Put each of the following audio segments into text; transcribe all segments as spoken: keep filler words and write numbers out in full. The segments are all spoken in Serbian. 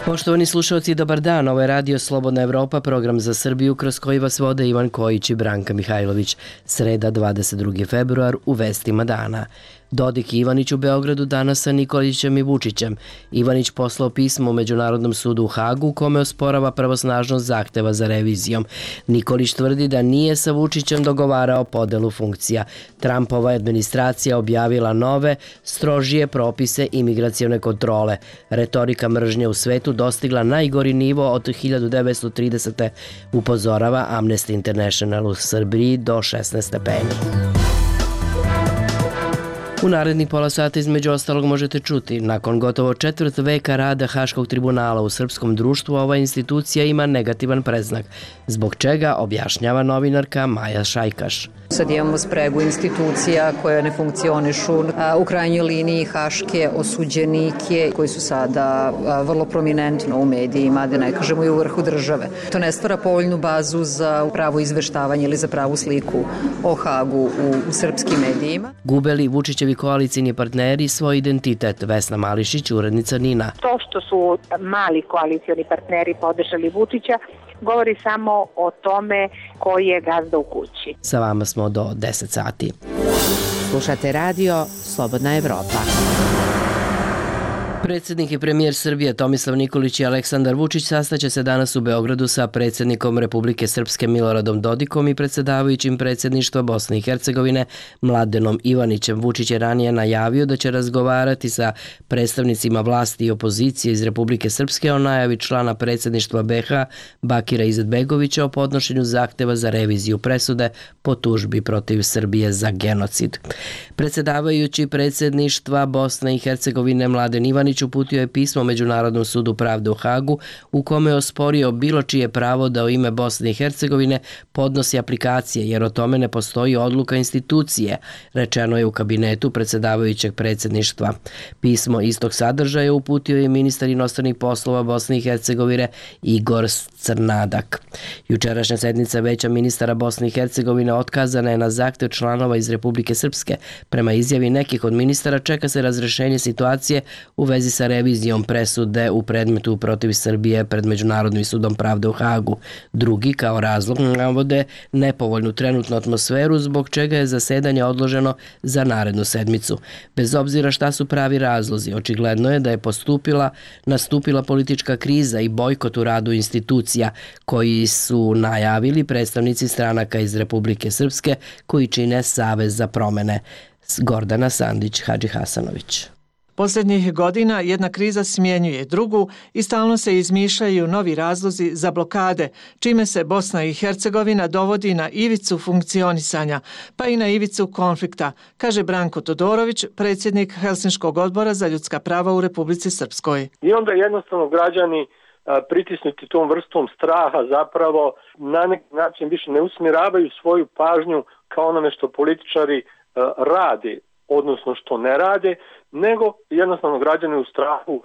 Poštovani slušalci, dobar dan. Ovo je Radio Slobodna Evropa, program za Srbiju kroz koji vas vode Ivan Kojić i Branka Mihajlović. Sreda, dvadeset drugi februar, u vestima dana. Dodik i Ivanić u Beogradu danas sa Nikolićem i Vučićem. Ivanić poslao pismo Međunarodnom sudu u Hagu u kome osporava pravosnažnost zahteva za revizijom. Nikolić tvrdi da nije sa Vučićem dogovarao podelu funkcija. Trumpova administracija objavila nove, strožije propise imigracione kontrole. Retorika mržnje u svetu dostigla najgori nivo od hiljadu devetsto tridesete. upozorava Amnesty International u Srbiji do šesnaest stepeni. U narednih pola sata između ostalog možete čuti, nakon gotovo četvrt veka rada Haškog tribunala u srpskom društvu, ova institucija ima negativan predznak, zbog čega objašnjava novinarka Maja Šajkaš. Sad imamo spregu institucija koje ne funkcionišu, u krajnjoj liniji haške osuđenike koji su sada vrlo prominentno u medijima, da ne kažemo i u vrhu države. To ne stvara povoljnu bazu za pravo izveštavanje ili za pravu sliku o Hagu u, u srpskim medijima. Gubeli Vučićevi koalicijni partneri svoj identitet. Vesna Mališić, urednica Nina. To što su mali koalicioni partneri podržali Vučića govori samo o tome koji je gazda u kući. Sa vama smo do deset sati. Slušate radio Slobodna Evropa. Predsjednik i premijer Srbije Tomislav Nikolić i Aleksandar Vučić sastaće se danas u Beogradu sa predsjednikom Republike Srpske Miloradom Dodikom i predsjedavajućim predsjedništva Bosne i Hercegovine Mladenom Ivanićem. Vučić je ranije najavio da će razgovarati sa predstavnicima vlasti i opozicije iz Republike Srpske o najavi člana predsjedništva be ha Bakira Izetbegovića o podnošenju zahteva za reviziju presude po tužbi protiv Srbije za genocid. Predsjedavajući predsjedništva Bosne i Hercegovine Mladen Ivanić uputio je pismo Međunarodnom sudu pravde u Hagu u kome je osporio bilo čije pravo da u ime Bosne i Hercegovine podnosi aplikacije, jer o tome ne postoji odluka institucije, rečeno je u kabinetu predsjedavajućeg predsjedništva. Pismo istog sadržaja uputio je ministar inostranih poslova Bosne i Hercegovine Igor Crnadak. Jučerašnja sednica Veća ministara Bosne i Hercegovine otkazana je na zahtev članova iz Republike Srpske. Prema izjavi nekih od ministara čeka se razrešenje situacije u vezi sa revizijom presude u predmetu protiv Srbije pred Međunarodnim sudom pravde u Hagu. Drugi kao razlog navode nepovoljnu trenutnu atmosferu zbog čega je zasedanje odloženo za narednu sedmicu. Bez obzira šta su pravi razlozi, očigledno je da je postupila, nastupila politička kriza i bojkot u radu institucija koji su najavili predstavnici stranaka iz Republike Srpske koji čine Savez za promene. Gordana Sandić Hadžihasanović. Posljednjih godina jedna kriza smjenjuje drugu i stalno se izmišljaju novi razlozi za blokade, čime se Bosna i Hercegovina dovodi na ivicu funkcionisanja, pa i na ivicu konflikta, kaže Branko Todorović, predsjednik Helsinškog odbora za ljudska prava u Republici Srpskoj. I onda jednostavno građani pritisnuti tom vrstom straha zapravo na neki način više ne usmjeravaju svoju pažnju kao onome što političari rade, odnosno što ne rade, nego jednostavno građani u strahu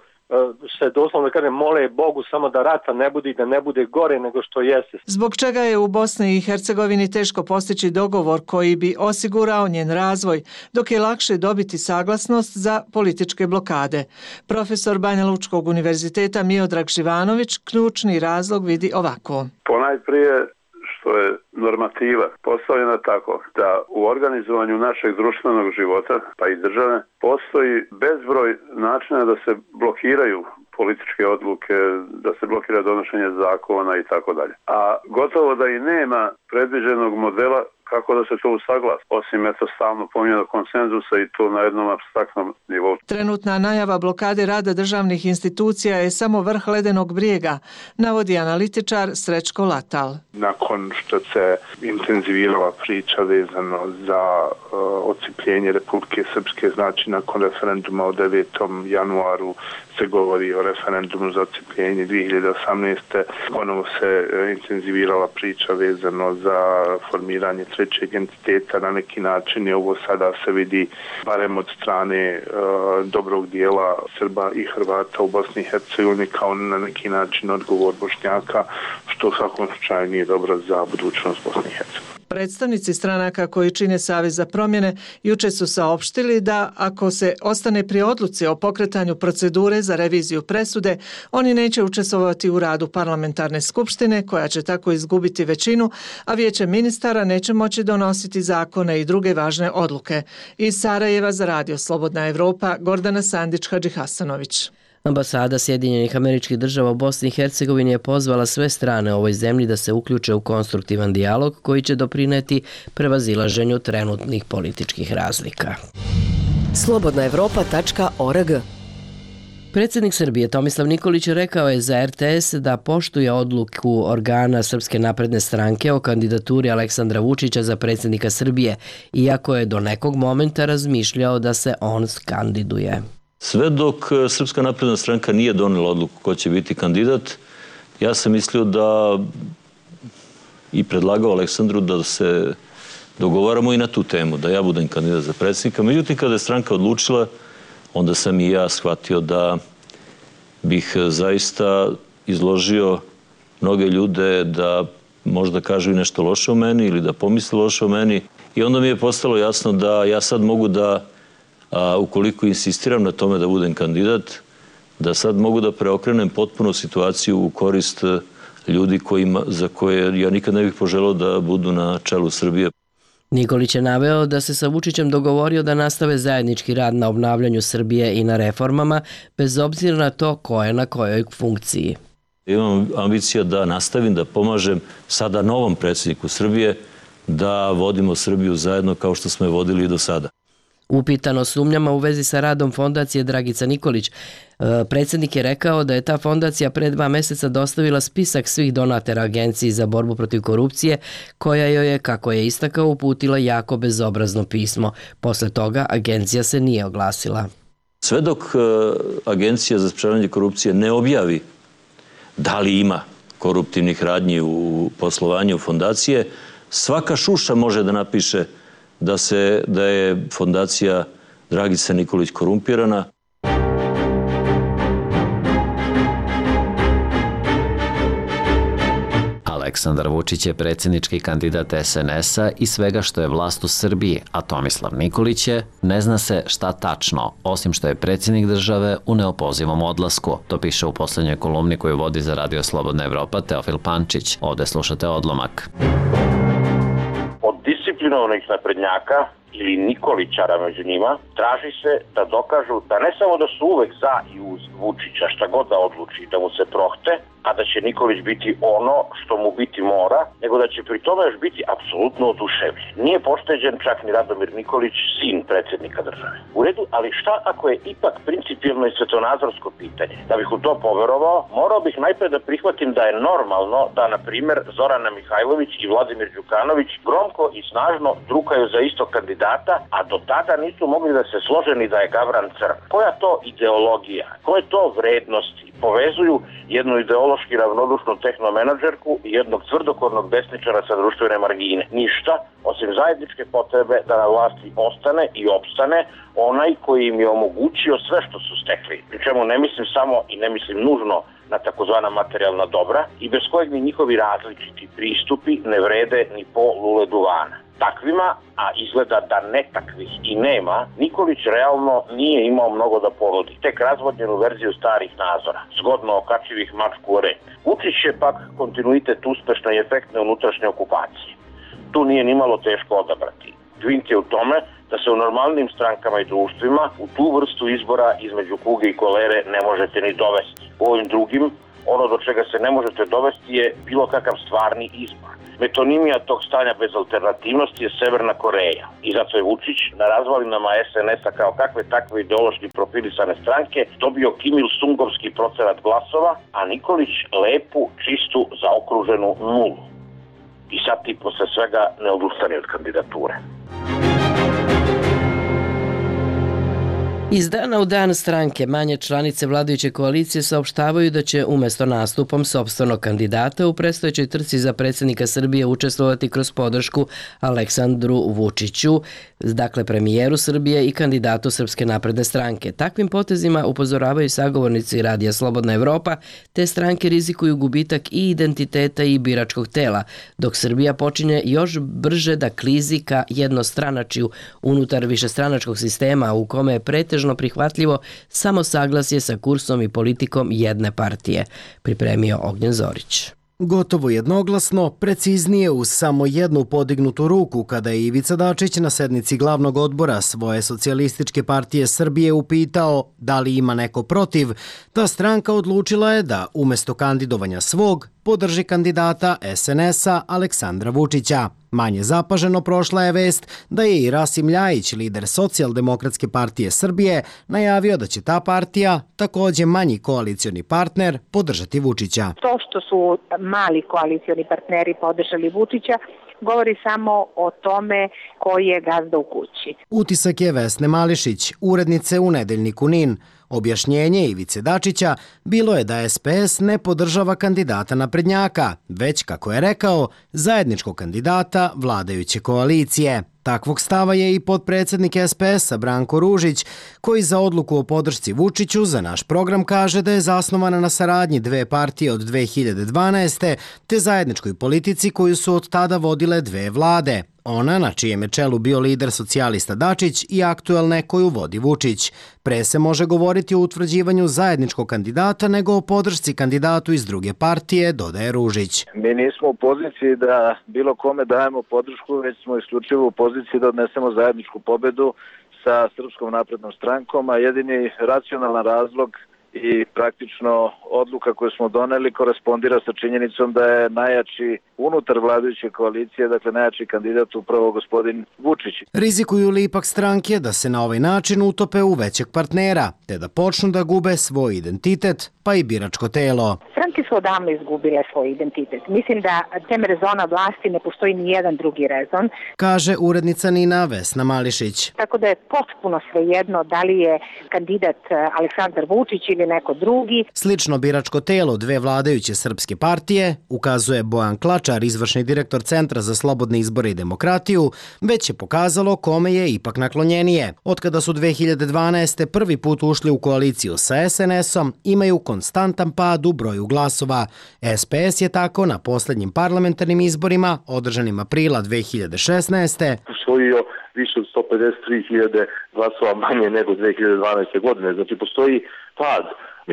se doslovno da kažem mole Bogu samo da rata ne bude i da ne bude gore nego što jeste. Zbog čega je u Bosni i Hercegovini teško postići dogovor koji bi osigurao njen razvoj, dok je lakše dobiti saglasnost za političke blokade. Profesor Banja Lučkog univerziteta Miodrag Živanović ključni razlog vidi ovako. Ponajprije što je normativa postavljena tako da u organizovanju našeg društvenog života, pa i države, postoji bezbroj načina da se blokiraju političke odluke, da se blokira donošenje zakona i tako dalje. A gotovo da i nema predviđenog modela kako da se to usaglasi, osim eto stalno pominjanog konsenzusa i to na jednom apstraktnom nivou. Trenutna najava blokade rada državnih institucija je samo vrh ledenog brijega, navodi analitičar Srećko Latal. Nakon što se intenzivirala priča vezano za uh, odcipljenje Republike Srpske, znači nakon referenduma od devetom januaru se govori o referendumu za odcipljenje dvije hiljade osamnaeste. Ponovo se intenzivirala priča vezano za formiranje trećeg entiteta. Na neki način je ovo sada se vidi barem od strane uh, dobrog dijela Srba i Hrvata u Bosni i Hercegovini kao na neki način odgovor Bošnjaka, što u svakom slučaju nije dobro za budućnost Bosne i Hercegovine. Predstavnici stranaka koji čine Savez za promjene juče su saopštili da ako se ostane pri odluci o pokretanju procedure za reviziju presude, oni neće učestvovati u radu parlamentarne skupštine koja će tako izgubiti većinu, a vijeće ministara neće moći donositi zakone i druge važne odluke. Iz Sarajeva za Radio Slobodna Evropa, Gordana Sandić-Hadžihasanović. Ambasada Sjedinjenih Američkih Država u Bosni i Hercegovini je pozvala sve strane u ovoj zemlji da se uključe u konstruktivan dijalog koji će doprineti prevazilaženju trenutnih političkih razlika. slobodna evropa tačka org. Predsjednik Srbije Tomislav Nikolić rekao je za er te es da poštuje odluku organa Srpske napredne stranke o kandidaturi Aleksandra Vučića za predsjednika Srbije, iako je do nekog momenta razmišljao da se on kandiduje. Sve dok Srpska napredna stranka nije donela odluku ko će biti kandidat, ja sam mislio da i predlagao Aleksandru da se dogovaramo i na tu temu, da ja budem kandidat za predsjednika. Međutim, kada je stranka odlučila, onda sam i ja shvatio da bih zaista izložio mnoge ljude da možda kažu i nešto loše o meni ili da pomisle loše o meni. I onda mi je postalo jasno da ja sad mogu da, a, ukoliko insistiram na tome da budem kandidat, da sad mogu da preokrenem potpuno situaciju u korist ljudi kojima, za koje ja nikad ne bih poželao da budu na čelu Srbije. Nikolić je naveo da se sa Vučićem dogovorio da nastave zajednički rad na obnavljanju Srbije i na reformama, bez obzira na to ko je na kojoj funkciji. Imam ambicija da nastavim, da pomažem sada novom predsjedniku Srbije, da vodimo Srbiju zajedno kao što smo je vodili i do sada. Upitan o sumnjama u vezi sa radom fondacije Dragica Nikolić, predsjednik je rekao da je ta fondacija pre dva mjeseca dostavila spisak svih donatera Agenciji za borbu protiv korupcije, koja joj je, kako je istakao, uputila jako bezobrazno pismo. Posle toga agencija se nije oglasila. Sve dok Agencija za sprečavanje korupcije ne objavi da li ima koruptivnih radnji u poslovanju fondacije, svaka šuša može da napiše da se da je fondacija Dragica Nikolić korumpirana. Aleksandar Vučić je predsjednički kandidat es en es-a i svega što je vlast u Srbiji, a Tomislav Nikolić je, ne zna se šta tačno, osim što je predsjednik države u neopozivom odlasku. To piše u posljednjoj kolumni koju vodi za Radio Slobodna Evropa Teofil Pančić. Ovdje slušate odlomak. Od disciplinovanih naprednjaka ili Nikolićara među njima, traži se da dokažu da ne samo da su uvek za i uz Vučića, šta god da odluči, da mu se prohte, a da će Nikolić biti ono što mu biti mora, nego da će pri tome još biti apsolutno oduševljen. Nije pošteđen čak ni Radomir Nikolić, sin predsjednika države. U redu, ali šta ako je ipak principijelno i svetonazorsko pitanje? Da bih u to poverovao, morao bih najpre da prihvatim da je normalno da, na primjer, Zorana Mihajlović i Vladimir Đukanović gromko i snažno drukaju za istog kandidata, a do tada nisu mogli da se slože ni da je Gavran crn. Koja to ideologija, koje to vrednosti povezuju jednu ideološki ravnodušnu tehnomenadžerku i jednog tvrdokornog desničara sa društvene margine? Ništa, osim zajedničke potrebe da na vlasti ostane i opstane onaj koji im je omogućio sve što su stekli. Pri čemu ne mislim samo i ne mislim nužno na takozvana materijalna dobra i bez kojeg ni njihovi različiti pristupi ne vrede ni po lule duvana. Takvima, a izgleda da ne takvih i nema, Nikolić realno nije imao mnogo da ponudi. Tek razvodnjenu verziju starih nazora, zgodno okačivih mačku o rep. Vučić je pak kontinuitet uspešne i efektne unutrašnje okupacije. Tu nije nimalo teško odabrati. Dvink je u tome da se u normalnim strankama i društvima u tu vrstu izbora između kuge i kolere ne možete ni dovesti. U ovim drugim, ono do čega se ne možete dovesti je bilo kakav stvarni izbor. Metonimija tog stanja bez alternativnosti je Severna Koreja i zato je Vučić na razvalinama es en es-a kao kakve takve ideološki profilisane stranke dobio Kim Il-sungovski procenat glasova, a Nikolić lepu, čistu, zaokruženu nulu. I sad ti posle svega ne odustane od kandidature. Iz dana u dan stranke manje članice vladajuće koalicije saopštavaju da će umjesto nastupom sopstvenog kandidata u predstojećoj trci za predsjednika Srbije učestvovati kroz podršku Aleksandru Vučiću, dakle premijeru Srbije i kandidatu Srpske napredne stranke. Takvim potezima upozoravaju sagovornici Radija Slobodna Evropa, te stranke rizikuju gubitak i identiteta i biračkog tela, dok Srbija počinje još brže da klizi ka jednostranačju unutar višestranačkog sistema u kome je pretežno prihvatljivo samo saglasje sa kursom i politikom jedne partije, pripremio Ognjen Zorić. Gotovo jednoglasno, preciznije uz samo jednu podignutu ruku kada je Ivica Dačić na sednici glavnog odbora svoje socijalističke partije Srbije upitao da li ima neko protiv, ta stranka odlučila je da umjesto kandidovanja svog podrži kandidata es en es-a Aleksandra Vučića. Manje zapaženo prošla je vest da je i Rasim Ljajić, lider Socijaldemokratske partije Srbije, najavio da će ta partija, također manji koalicioni partner, podržati Vučića. To što su mali koalicioni partneri podržali Vučića govori samo o tome koji je gazda u kući. Utisak je Vesne Mališić, urednice u Nedeljniku NIN. Objašnjenje Ivice Dačića bilo je da es pe es ne podržava kandidata naprednjaka, već, kako je rekao, zajedničkog kandidata vladajuće koalicije. Takvog stava je i potpredsjednik es pe es-a Branko Ružić, koji za odluku o podršci Vučiću za naš program kaže da je zasnovana na saradnji dve partije od dve hiljade dvanaeste. te zajedničkoj politici koju su od tada vodile dve vlade. Ona, na čijem je čelu bio lider socijalista Dačić, i aktuelne koju vodi Vučić. Pre se može govoriti o utvrđivanju zajedničkog kandidata nego o podršci kandidatu iz druge partije, dodaje Ružić. Mi nismo u poziciji da bilo kome dajemo podršku, već smo isključivo u poziciji da odnesemo zajedničku pobedu sa Srpskom naprednom strankom, a jedini racionalan razlog i praktično odluka koju smo doneli korespondira sa činjenicom da je najjači unutar vladajuće koalicije, dakle najjači kandidat upravo gospodin Vučić. Rizikuju li ipak stranke da se na ovaj način utope u većeg partnera, te da počnu da gube svoj identitet, pa i biračko telo? Stranke su odavno izgubile svoj identitet. Mislim da tem rezona vlasti ne postoji ni jedan drugi rezon, kaže urednica NIN-a Vesna Mališić. Tako da je potpuno svejedno da li je kandidat Aleksandar Vučić ili neko drugi. Slično biračko telo dve vladajuće srpske partije, ukazuje Bojan Klačar, izvršni direktor Centra za slobodne izbore i demokratiju, već je pokazalo kome je ipak naklonjenije. Otkada su dve hiljade dvanaeste. prvi put ušli u koaliciju sa es en es-om, imaju konstantan pad u broju glasova. es pe es je tako na posljednjim parlamentarnim izborima, održanim aprila dve hiljade šesnaeste. usvojio više od sto pedeset tri hiljade glasova manje nego dve hiljade dvanaeste. godine. Znači, postoji pad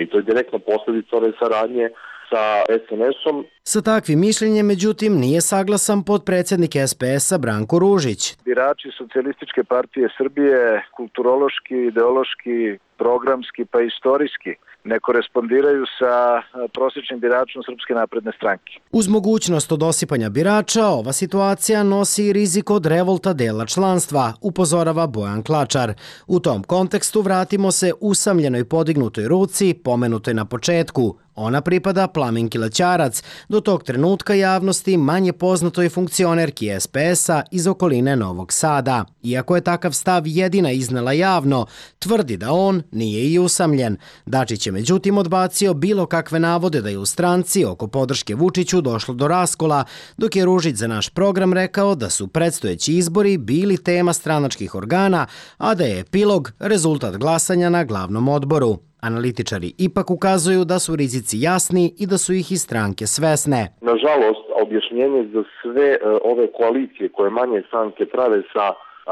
i to je direktno posljedica ove saradnje sa es en es-om. Sa takvim mišljenjem, međutim, nije saglasan potpredsjednik es pe es-a Branko Ružić. Birači Socijalističke partije Srbije kulturološki, ideološki, programski pa istorijski ne korespondiraju sa prosječnim biračom Srpske napredne stranke. Uz mogućnost odosipanja birača, ova situacija nosi i rizik od revolta dela članstva, upozorava Bojan Klačar. U tom kontekstu vratimo se usamljenoj podignutoj ruci, pomenutoj na početku. Ona pripada Plaminki Lećarac, do tog trenutka javnosti manje poznatoj funkcionerki es pe es-a iz okoline Novog Sada. Iako je takav stav jedina iznela javno, tvrdi da on nije i usamljen. Dačić je međutim odbacio bilo kakve navode da je u stranci oko podrške Vučiću došlo do raskola, dok je Ružić za naš program rekao da su predstojeći izbori bili tema stranačkih organa, a da je epilog rezultat glasanja na glavnom odboru. Analitičari ipak ukazuju da su rizici jasni i da su ih i stranke svesne. Nažalost, objašnjenje za sve ove koalicije koje manje stranke prave sa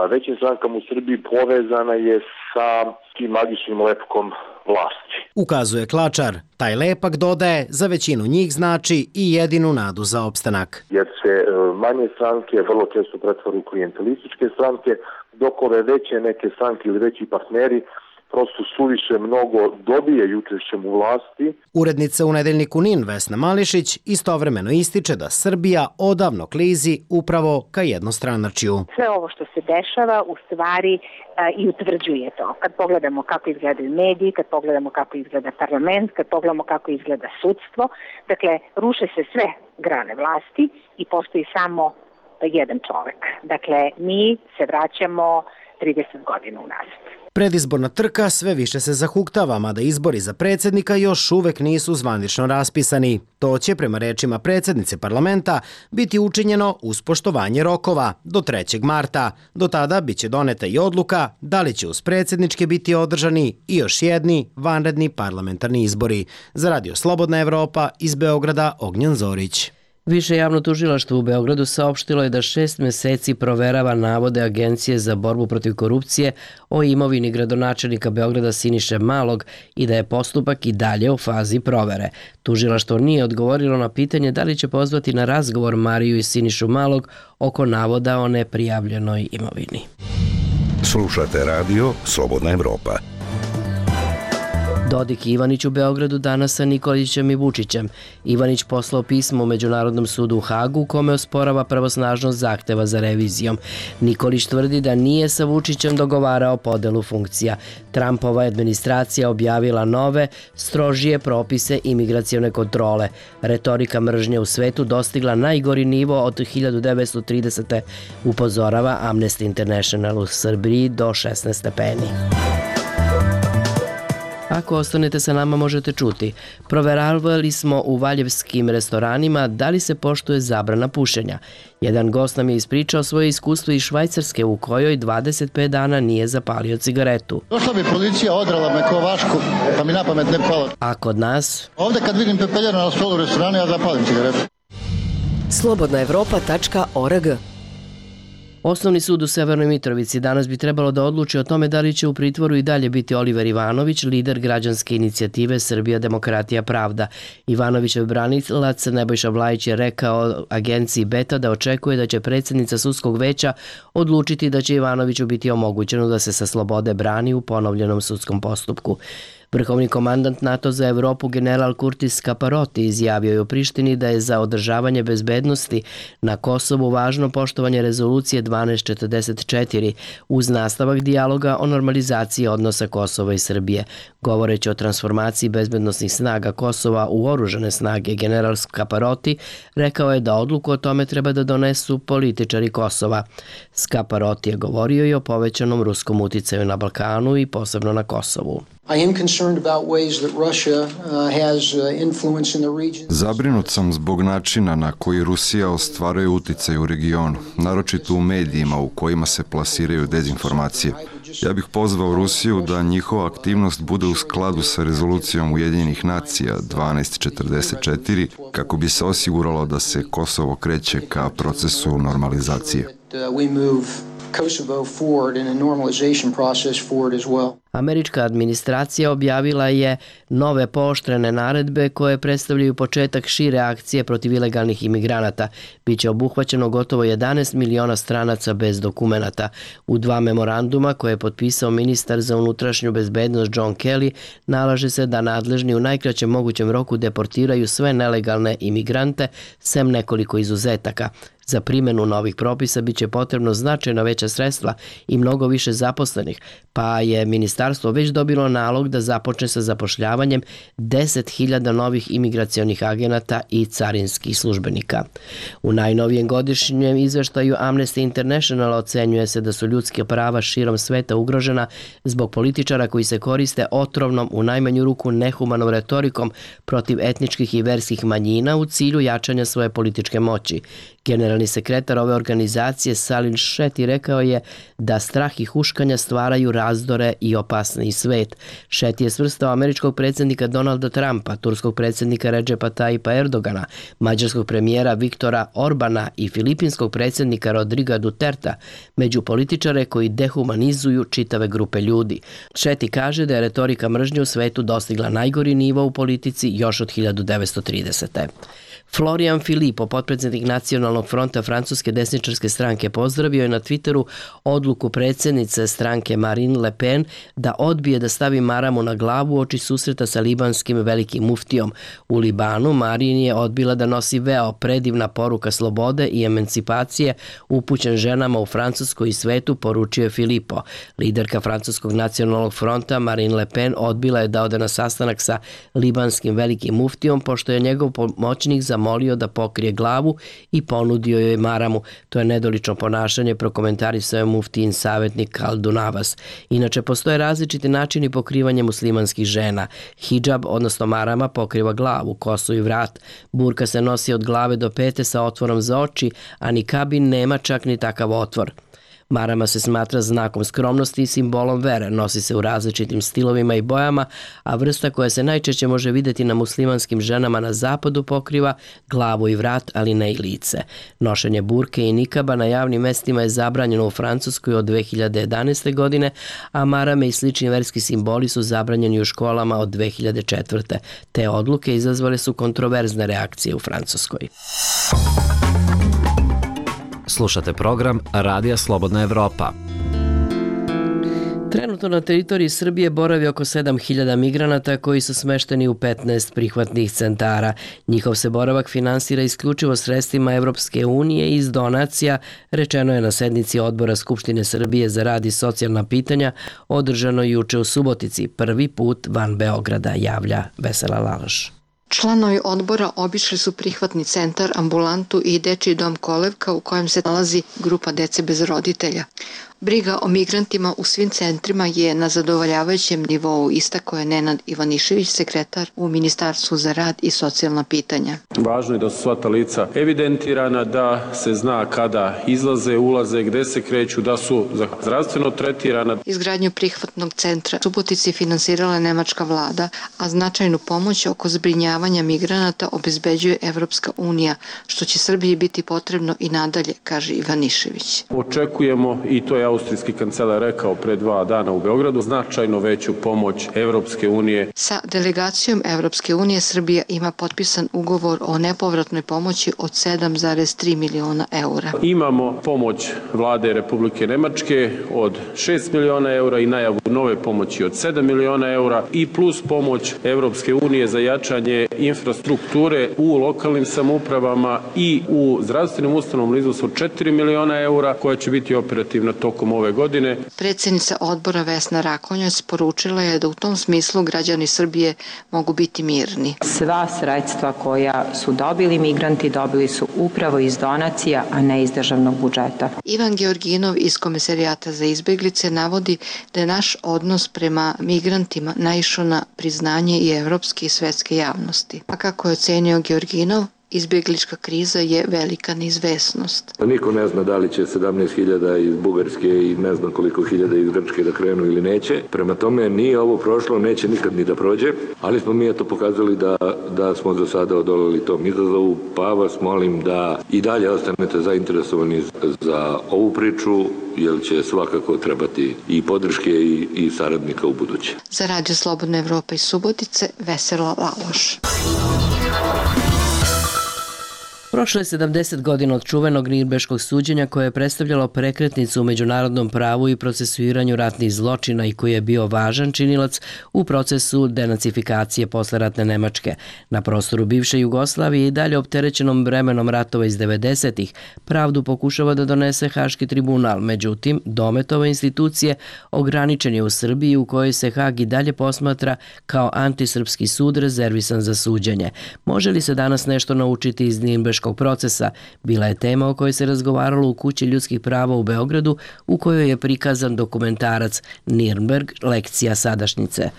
većim strankama u Srbiji povezana je sa tim magičnim lepkom vlasti. Ukazuje Klačar. Taj lepak, dodaje, za većinu njih znači i jedinu nadu za opstanak. Jer se manje stranke vrlo često pretvore u klijentelističke stranke, dok ove veće neke stranke ili veći partneri prosto suviše mnogo dobije učešćem u vlasti. Urednica u Nedeljniku NIN Vesna Mališić istovremeno ističe da Srbija odavno klizi upravo ka jednostranačju. Sve ovo što se dešava u stvari a, i utvrđuje to. Kad pogledamo kako izgledaju mediji, kad pogledamo kako izgleda parlament, kad pogledamo kako izgleda sudstvo, dakle, ruše se sve grane vlasti i postoji samo jedan čovek. Dakle, mi se vraćamo trideset godina unazad. Predizborna trka sve više se zahuktava, mada izbori za predsjednika još uvek nisu zvanično raspisani. To će, prema rečima predsjednice parlamenta, biti učinjeno uz poštovanje rokova do trećeg marta. Do tada biće doneta i odluka da li će uz predsjedničke biti održani i još jedni vanredni parlamentarni izbori. Za Radio Slobodna Evropa iz Beograda, Ognjen Zorić. Više javno tužilaštvo u Beogradu saopštilo je da šest meseci proverava navode Agencije za borbu protiv korupcije o imovini gradonačelnika Beograda Siniše Malog i da je postupak i dalje u fazi provere. Tužilaštvo nije odgovorilo na pitanje da li će pozvati na razgovor Mariju i Sinišu Malog oko navoda o neprijavljenoj imovini. Slušate radio Slobodna Evropa. Dodik i Ivanić u Beogradu danas sa Nikolićem i Vučićem. Ivanić poslao pismo u Međunarodnom sudu u Hagu u kome osporava pravosnažnost zahteva za revizijom. Nikolić tvrdi da nije sa Vučićem dogovarao podelu funkcija. Trumpova administracija objavila nove, strožije propise imigracione kontrole. Retorika mržnje u svetu dostigla najgori nivo od hiljadu devetsto tridesete. upozorava Amnesty International u Srbiji do šesnaest stepeni. Ako ostanete sa nama možete čuti. Proveravali smo u valjevskim restoranima da li se poštuje zabrana pušenja. Jedan gost nam je ispričao svoje iskustvo iz Švajcarske u kojoj dvadeset pet dana nije zapalio cigaretu. Došla bi policija, odrala me ko vašku, pa mi na pamet ne palo. A kod nas? Ovde kad vidim pepeljaru na stolu u restoranu, ja zapalim cigaretu. slobodna evropa tačka org. Osnovni sud u Severnoj Mitrovici danas bi trebalo da odluči o tome da li će u pritvoru i dalje biti Oliver Ivanović, lider građanske inicijative Srbija, demokratija, pravda. Ivanovićev branilac Nebojša Vlajić je rekao agenciji Beta da očekuje da će predsjednica sudskog veća odlučiti da će Ivanoviću biti omogućeno da se sa slobode brani u ponovljenom sudskom postupku. Vrhovni komandant NATO za Evropu general Kurtis Kaparoti izjavio je u Prištini da je za održavanje bezbednosti na Kosovu važno poštovanje rezolucije dvanaest četrdeset četiri uz nastavak dijaloga o normalizaciji odnosa Kosova i Srbije. Govoreći o transformaciji bezbednosnih snaga Kosova u oružane snage, general Kaparoti rekao je da odluku o tome treba da donesu političari Kosova. Kaparoti je govorio i o povećanom ruskom uticaju na Balkanu i posebno na Kosovu. Zabrinut sam zbog načina na koji Rusija ostvaruje uticaj u regionu, naročito u medijima u kojima se plasiraju dezinformacije. Ja bih pozvao Rusiju da njihova aktivnost bude u skladu sa rezolucijom Ujedinjenih nacija dvanaest četrdeset četiri kako bi se osiguralo da se Kosovo kreće ka procesu normalizacije. Kosovo forward in a normalization process forward as well. Američka administracija objavila je nove pooštrene naredbe koje predstavljaju početak šire akcije protiv ilegalnih imigranata. Biće obuhvaćeno gotovo jedanaest miliona stranaca bez dokumenata. U dva memoranduma koje je potpisao ministar za unutrašnju bezbednost John Kelly nalaže se da nadležni u najkraćem mogućem roku deportiraju sve nelegalne imigrante, sem nekoliko izuzetaka. Za primjenu novih propisa biće potrebno značajno veća sredstva i mnogo više zaposlenih, pa je ministarstvo već dobilo nalog da započne sa zapošljavanjem deset hiljada novih imigracionih agenata i carinskih službenika. U najnovijem godišnjem izveštaju Amnesty International ocenjuje se da su ljudske prava širom sveta ugrožena zbog političara koji se koriste otrovnom, u najmanju ruku nehumanom retorikom protiv etničkih i verskih manjina u cilju jačanja svoje političke moći. Generalni sekretar ove organizacije Salim Šeti rekao je da strah i huškanja stvaraju razdore i opasniji svet. Šeti je svrstao američkog predsjednika Donalda Trumpa, turskog predsjednika Redžepa Tajipa Erdogana, mađarskog premijera Viktora Orbana i filipinskog predsjednika Rodriga Duterta među političare koji dehumanizuju čitave grupe ljudi. Šeti kaže da je retorika mržnje u svetu dostigla najgori nivo u politici još od hiljadu devetsto tridesete. Florian Philippot, potpredsjednik Nacionalnog fronta francuske desničarske stranke, pozdravio je na Twitteru odluku predsjednice stranke Marine Le Pen da odbije da stavi maramu na glavu oči susreta sa libanskim velikim muftijom. U Libanu Marine je odbila da nosi veo, predivna poruka slobode i emancipacije upućen ženama u Francuskoj i svetu, poručio je Philippot. Liderka francuskog Nacionalnog fronta Marine Le Pen odbila je da ode na sastanak sa libanskim velikim muftijom pošto je njegov pomoćnik za zamolio da pokrije glavu i ponudio joj maramu. To je nedolično ponašanje, prokomentarisao je muftijin savjetnik Kaldun Abbas. Inače, postoje različiti načini pokrivanja muslimanskih žena. Hidžab, odnosno marama, pokriva glavu, kosu i vrat. Burka se nosi od glave do pete sa otvorom za oči, a nikabi nema čak ni takav otvor. Marama se smatra znakom skromnosti i simbolom vere, nosi se u različitim stilovima i bojama, a vrsta koja se najčešće može vidjeti na muslimanskim ženama na zapadu pokriva glavu i vrat, ali ne i lice. Nošenje burke i nikaba na javnim mestima je zabranjeno u Francuskoj od dve hiljade jedanaeste. godine, a marame i slični verski simboli su zabranjeni u školama od dve hiljade četvrte. Te odluke izazvale su kontroverzne reakcije u Francuskoj. Slušate program Radija Slobodna Evropa. Trenutno na teritoriji Srbije boravi oko sedam hiljada migranata koji su smešteni u petnaest prihvatnih centara. Njihov se boravak finansira isključivo sredstvima Evropske unije iz donacija, rečeno je na sednici Odbora Skupštine Srbije za rad i socijalna pitanja, održano juče u Subotici, prvi put van Beograda, javlja Vesela Lalaš. Članovi odbora obišli su prihvatni centar, ambulantu i dečiji dom Kolevka u kojem se nalazi grupa dece bez roditelja. Briga o migrantima u svim centrima je na zadovoljavajućem nivou, istakao je Nenad Ivanišević, sekretar u Ministarstvu za rad i socijalna pitanja. Važno je da su sva ta lica evidentirana, da se zna kada izlaze, ulaze, gde se kreću, da su zdravstveno tretirana. Izgradnju prihvatnog centra Subotici finansirala je nemačka vlada, a značajnu pomoć oko zbrinjavanja migranata obezbeđuje Evropska unija, što će Srbiji biti potrebno i nadalje, kaže Ivanišević. Očekujemo, i to je austrijski kancelar rekao pre dva dana u Beogradu, značajno veću pomoć Evropske unije. Sa delegacijom Evropske unije Srbija ima potpisan ugovor o nepovratnoj pomoći od sedam zarez tri miliona eura. Imamo pomoć vlade Republike Nemačke od šest miliona eura i najavu nove pomoći od sedam miliona eura i plus pomoć Evropske unije za jačanje infrastrukture u lokalnim samoupravama i u zdravstvenim ustanovama u iznosu od četiri miliona eura koja će biti operativna tokom ove godine. Predsjednica odbora Vesna Rakonjac poručila je da u tom smislu građani Srbije mogu biti mirni. Sva sredstva koja su dobili migranti dobili su upravo iz donacija, a ne iz državnog budžeta. Ivan Georginov iz Komisarijata za izbeglice navodi da je naš odnos prema migrantima naišao na priznanje i evropske i svetske javnosti. A kako je ocenio Georginov, izbjeglička kriza je velika neizvesnost. Niko ne zna da li će sedamnaest hiljada iz Bugarske i ne znam koliko hiljada iz Grčke da krenu ili neće. Prema tome nije ovo prošlo, neće nikad ni da prođe, ali smo mi eto pokazali da, da smo za sada odolili tom izazovu, pa vas molim da i dalje ostanete zainteresovani za ovu priču, jer će svakako trebati i podrške i, i saradnika u buduće. Za Radio Slobodna Evropa iz Subotice, Vesela Laloš. Prošlo je sedamdeset godina od čuvenog Nirnberškog suđenja koje je predstavljalo prekretnicu u međunarodnom pravu i procesuiranju ratnih zločina i koji je bio važan činilac u procesu denacifikacije posleratne Nemačke. Na prostoru bivše Jugoslavije i dalje opterećenom vremenom ratova iz devedesetih pravdu pokušava da donese Haški tribunal, međutim, domet ove institucije ograničen je u Srbiji u kojoj se Hag i dalje posmatra kao antisrpski sud rezervisan za suđenje. Može li se danas nešto naučiti iz Nirnberškog procesa, bila je tema o kojoj se razgovaralo u Kući ljudskih prava u Beogradu, u kojoj je prikazan dokumentarac Nirnberg, lekcija sadašnjice,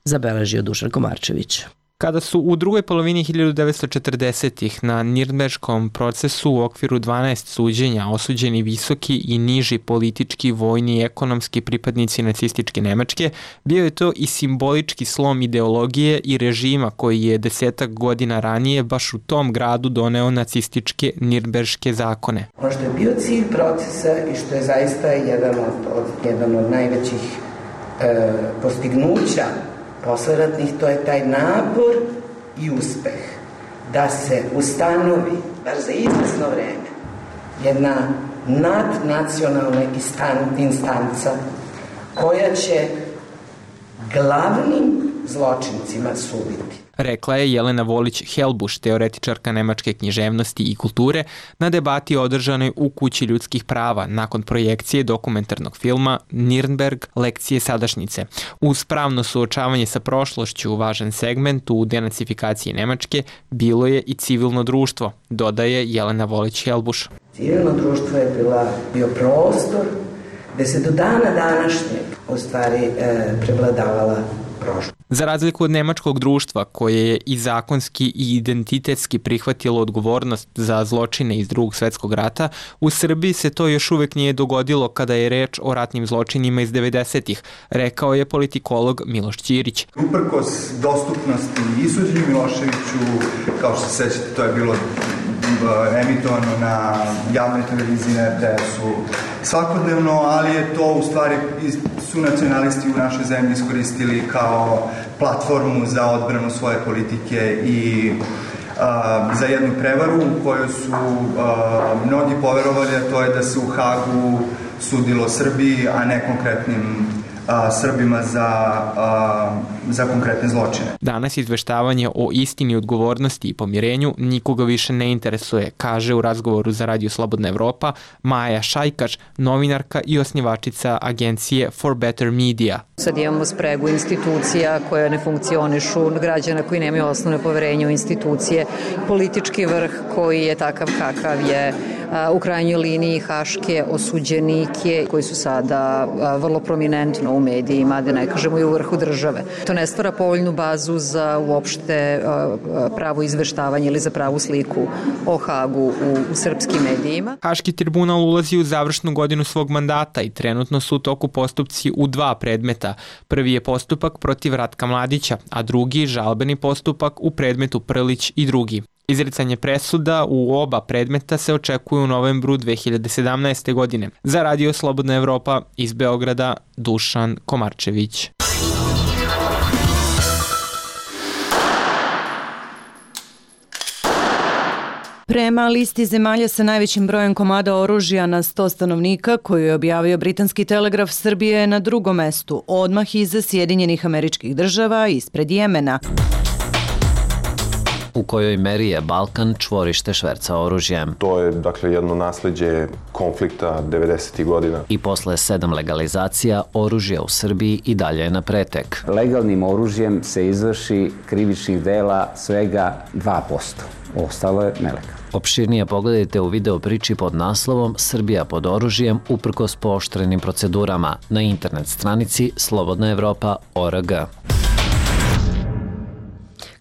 zabeležio Dušan Komarčević. Kada su u drugoj polovini hiljadu devetsto četrdesetih na Nirnberškom procesu u okviru dvanaest suđenja osuđeni visoki i niži politički, vojni i ekonomski pripadnici nacističke Nemačke, bio je to i simbolički slom ideologije i režima koji je desetak godina ranije baš u tom gradu doneo nacističke Nirnberške zakone. Ono što je bio cilj procesa i što je zaista jedan od, od, jedan od najvećih e, postignuća posleratnih, to je taj napor i uspeh da se ustanovi, bar za izvesno vreme, jedna nadnacionalna instanca koja će glavnim zločincima suditi. Rekla je Jelena Volić-Helbuš, teoretičarka nemačke književnosti i kulture, na debati održanoj u Kući ljudskih prava nakon projekcije dokumentarnog filma Nirnberg – lekcije sadašnjice. Uz pravno suočavanje sa prošlošću, važan segment u denacifikaciji Nemačke bilo je i civilno društvo, dodaje Jelena Volić-Helbuš. Civilno društvo je bila, bio prostor gde se do dana današnjeg u stvari e, prevladavala prošlost. Za razliku od nemačkog društva, koje je i zakonski i identitetski prihvatilo odgovornost za zločine iz Drugog svetskog rata, u Srbiji se to još uvek nije dogodilo kada je reč o ratnim zločinima iz devedesetih, rekao je politikolog Miloš Ćirić. Uprkos dostupnosti i suđenju Miloševiću, kao što se sećate, to je bilo emitovano na javnoj televiziji, na er te esu svakodnevno, ali je to u stvari su nacionalisti u našoj zemlji iskoristili kao platformu za odbranu svoje politike i a, za jednu prevaru u kojoj su a, mnogi poverovali, a to je da se u Hagu sudilo Srbiji, a ne konkretnim a, Srbima za, a, za konkretne zločine. Danas izveštavanje o istini, odgovornosti i pomirenju nikoga više ne interesuje, kaže u razgovoru za Radio Slobodna Evropa Maja Šajkaš, novinarka i osnivačica agencije For Better Media. Sad imamo spregu institucija koje ne funkcionišu, građana koji nemaju osnovne poverenje u institucije, politički vrh koji je takav kakav je, u krajnjoj liniji haške osuđenike koji su sada vrlo prominentno u medijima, da ne kažemo i u vrhu države. To ne stvara povoljnu bazu za uopšte pravo izveštavanje ili za pravu sliku o Hagu u, u srpskim medijima. Haški tribunal ulazi u završnu godinu svog mandata i trenutno su u toku postupci u dva predmeta. Prvi je postupak protiv Ratka Mladića, a drugi žalbeni postupak u predmetu Prlić i drugi. Izricanje presuda u oba predmeta se očekuje u novembru dve hiljade sedamnaeste. godine. Za Radio Slobodna Evropa iz Beograda, Dušan Komarčević. Prema listi zemalja sa najvećim brojem komada oružja na sto stanovnika koju je objavio Britanski telegraf, Srbije je na drugom mestu, odmah iza Sjedinjenih Američkih Država, ispred Jemena. U kojoj meri je Balkan čvorište šverca oružjem. To je, dakle, jedno nasleđe konflikta devedesetih godina. I posle sedam legalizacija, oružje u Srbiji i dalje je na pretek. Legalnim oružjem se izvrši krivičnih dela svega dva posto. Ostalo je nelegalno. Opširnije pogledajte u video priči pod naslovom Srbija pod oružjem uprkos pooštrenim procedurama na internet stranici slobodna evropa tačka org.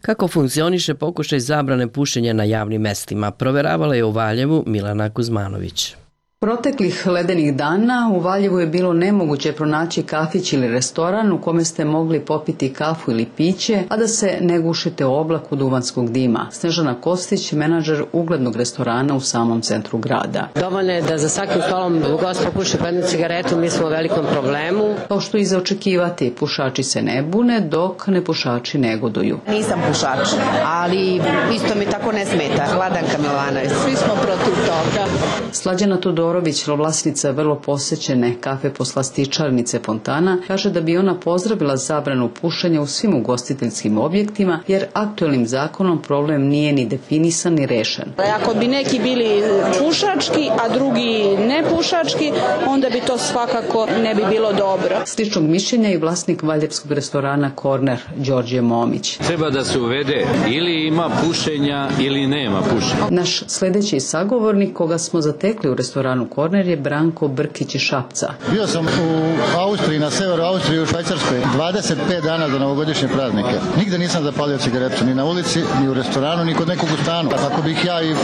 Kako funkcioniše pokušaj zabrane pušenja na javnim mestima, proveravala je u Valjevu Milana Kuzmanović. Proteklih ledenih dana u Valjevu je bilo nemoguće pronaći kafić ili restoran u kome ste mogli popiti kafu ili piće, a da se ne gušite u oblaku duvanskog dima. Snežana Kostić, menadžer uglednog restorana u samom centru grada. Dovoljno je da za svakim stolom gost popuši po jednu cigaretu, mi smo u velikom problemu. Kao što i za očekivati, pušači se ne bune, dok nepušači negoduju. Nisam pušač, ali isto mi tako ne smeta. Vladanka Milanović. Svi smo protiv toga. Slađana Todorović, vlasnica vrlo posećene kafe poslastičarnice Fontana, kaže da bi ona pozdravila zabranu pušenja u svim ugostiteljskim objektima, jer aktuelnim zakonom problem nije ni definisan ni rešen. Ako bi neki bili pušački, a drugi nepušački, onda bi to svakako ne bi bilo dobro. Sličnog mišljenja i vlasnik valjevskog restorana Korner, Đorđe Momić. Treba da se uvede ili ima pušenja ili nema pušenja. Naš sledeći sagovornik koga smo zatekli u restoranu Korner je Branko Brkić iz Šapca. Bio sam u Austriji, na severu Austrije, u Švajcarskoj, dvadeset pet dana za novogodišnje praznike. Nigde nisam zapalio cigaretu, ni na ulici, ni u restoranu, ni kod nekog u stanu. Tako bih ja i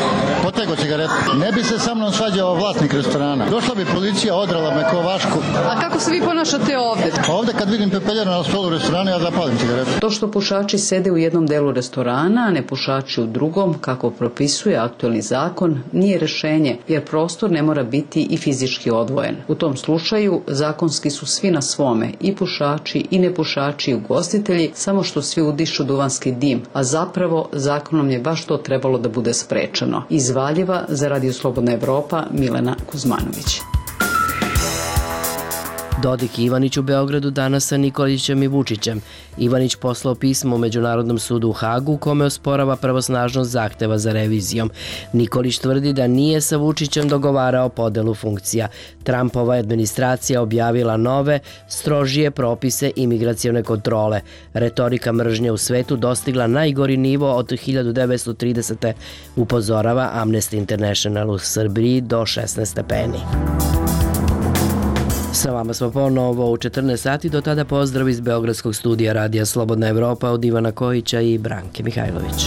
potegao cigaretu. Ne bi se sa mnom svađao vlasnik restorana. Došla bi policija, odrala me ko vašku. A kako se vi ponašate ovde? Ovde kad vidim pepeljaru na stolu restorana, ja zapalim cigaretu. To što pušači sede u jednom delu restorana, a ne pušači u drugom, kako propisuje aktuelni zakon, nije rešenje, jer prostor ne mora biti i fizički odvojen. U tom slučaju zakonski su svi na svome, i pušači i nepušači i ugostitelji, samo što svi udišu duvanski dim, a zapravo zakonom je baš to trebalo da bude sprečeno. Iz Valjeva za Radio Slobodna Evropa Milena Kuzmanović. Dodik i Ivanić u Beogradu danas sa Nikolićem i Vučićem. Ivanić poslao pismo u Međunarodnom sudu u Hagu u kome osporava pravosnažnost zahteva za revizijom. Nikolić tvrdi da nije sa Vučićem dogovarao podelu funkcija. Trumpova administracija objavila nove, strožije propise imigracione kontrole. Retorika mržnje u svetu dostigla najgori nivo od hiljadu devetsto tridesete. upozorava Amnesty International u Srbiji do šesnaest stepeni. Sa vama smo ponovo u četrnaest sati, do tada pozdrav iz Beogradskog studija Radija Slobodna Evropa od Ivana Kojića i Branke Mihajlović.